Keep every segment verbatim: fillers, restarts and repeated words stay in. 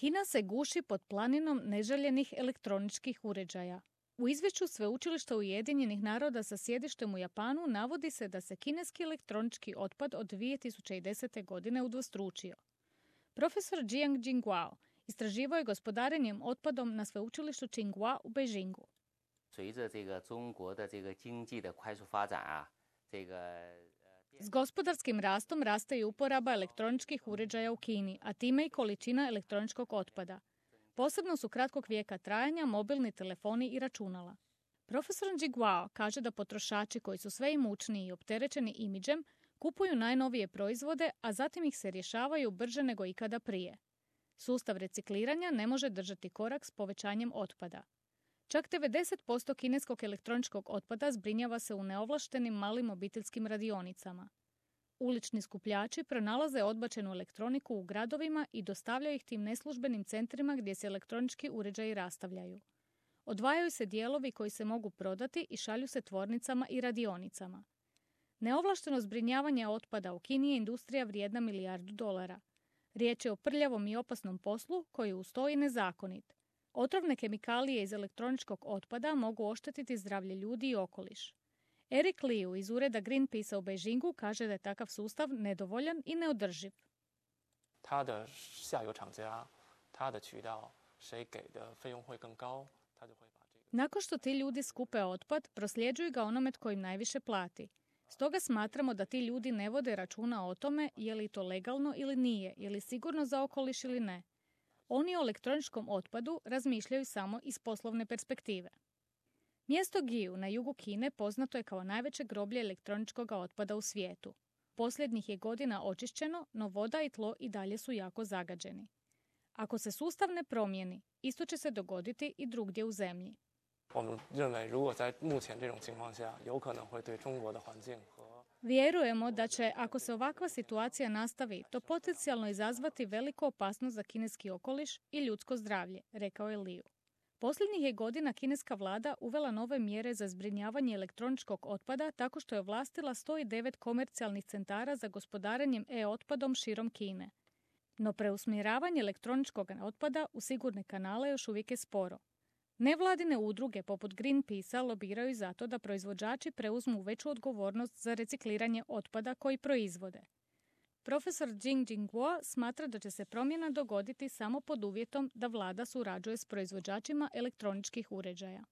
Kina se guši pod planinom neželjenih elektroničkih uređaja. U izvješću Sveučilišta Ujedinjenih naroda sa sjedištem u Japanu navodi se da se kineski elektronički otpad od dvije tisuće desete. godine udvostručio. Profesor Jiang Jingguo istraživao je gospodarenjem otpadom na sveučilištu Tsinghua u Beijingu. S gospodarskim rastom raste i uporaba elektroničkih uređaja u Kini, a time i količina elektroničkog otpada. Posebno su kratkog vijeka trajanja mobilni telefoni i računala. Profesor Jingguo kaže da potrošači koji su sve imućniji i opterećeni imidžem kupuju najnovije proizvode, a zatim ih se rješavaju brže nego ikada prije. Sustav recikliranja ne može držati korak s povećanjem otpada. Čak devedeset posto kineskog elektroničkog otpada zbrinjava se u neovlaštenim malim obiteljskim radionicama. Ulični skupljači pronalaze odbačenu elektroniku u gradovima i dostavljaju ih tim neslužbenim centrima gdje se elektronički uređaji rastavljaju. Odvajaju se dijelovi koji se mogu prodati i šalju se tvornicama i radionicama. Neovlašteno zbrinjavanje otpada u Kini je industrija vrijedna milijardu dolara. Riječ je o prljavom i opasnom poslu koji uz to i nezakonit. Otrovne kemikalije iz elektroničkog otpada mogu oštetiti zdravlje ljudi i okoliš. Eric Liu iz ureda Greenpeacea u Beijingu kaže da je takav sustav nedovoljan i neodrživ. Nakon što ti ljudi skupe otpad, prosljeđuju ga onome tko im najviše plati. Stoga smatramo da ti ljudi ne vode računa o tome je li to legalno ili nije, je li sigurno za okoliš ili ne. Oni o elektroničkom otpadu razmišljaju samo iz poslovne perspektive. Mjesto Giu na jugu Kine poznato je kao najveće groblje elektroničkog otpada u svijetu. Posljednjih je godina očišćeno, no voda i tlo i dalje su jako zagađeni. Ako se sustav ne promijeni, isto će se dogoditi i drugdje u zemlji. Vjerujemo da će, ako se ovakva situacija nastavi, to potencijalno izazvati veliku opasnost za kineski okoliš i ljudsko zdravlje, rekao je Liu. Posljednjih je godina kineska vlada uvela nove mjere za zbrinjavanje elektroničkog otpada tako što je ovlastila sto devet komercijalnih centara za gospodarenjem e-otpadom širom Kine. No preusmjeravanje elektroničkog otpada u sigurne kanale još uvijek je sporo. Nevladine udruge poput Greenpeacea lobiraju za to da proizvođači preuzmu veću odgovornost za recikliranje otpada koji proizvode. Profesor Jiang Jingguo smatra da će se promjena dogoditi samo pod uvjetom da vlada surađuje s proizvođačima elektroničkih uređaja.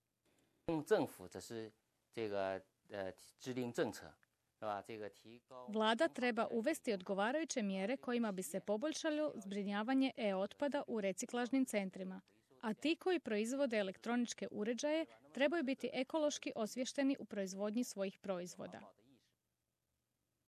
Vlada treba uvesti odgovarajuće mjere kojima bi se poboljšalo zbrinjavanje e-otpada u reciklažnim centrima, a ti koji proizvode elektroničke uređaje trebaju biti ekološki osviješteni u proizvodnji svojih proizvoda.